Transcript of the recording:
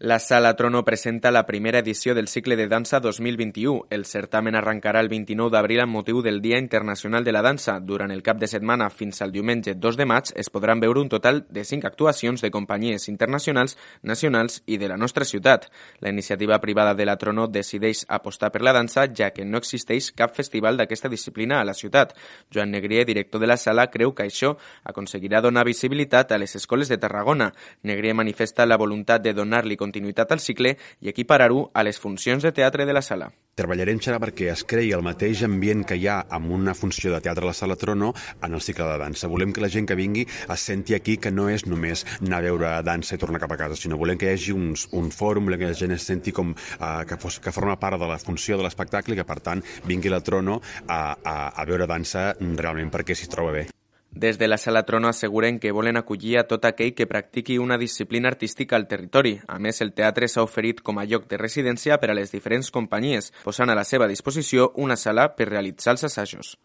La Sala Trono presenta la primera edició del cicle de dansa 2021. El certamen arrencarà el 29 d'abril amb motiu del Dia Internacional de la Dansa. Durant el cap de setmana fins al diumenge 2 de maig es podran veure un total de 5 actuacions de companyies internacionals, nacionals i de la nostra ciutat. La iniciativa privada de la Trono decideix apostar per la dansa, ja que no existeix cap festival d'aquesta disciplina a la ciutat. Joan Negrier, director de la sala, creu que això aconseguirà donar visibilitat a les escoles de Tarragona. Negrier manifesta la voluntat de donar-li continuïtat al cicle i equiparar-ho a les funcions de teatre de la sala. Treballarem perquè es creï el mateix ambient que hi ha amb una funció de teatre a la Sala Trono en el cicle de dansa. Volem que la gent que vingui es senti aquí que no és només anar a veure dansa i tornar cap a casa, sinó volem que hi hagi un fòrum, volem que la gent es senti com que forma part de la funció de l'espectacle i que, per tant, vingui a la Trono a veure dansa realment perquè s'hi troba bé. Des de la Sala Trono asseguren que volen acollir a tot aquell que practiqui una disciplina artística al territori. A més, el teatre s'ha oferit com a lloc de residència per a les diferents companyies, posant a la seva disposició una sala per realitzar els assajos.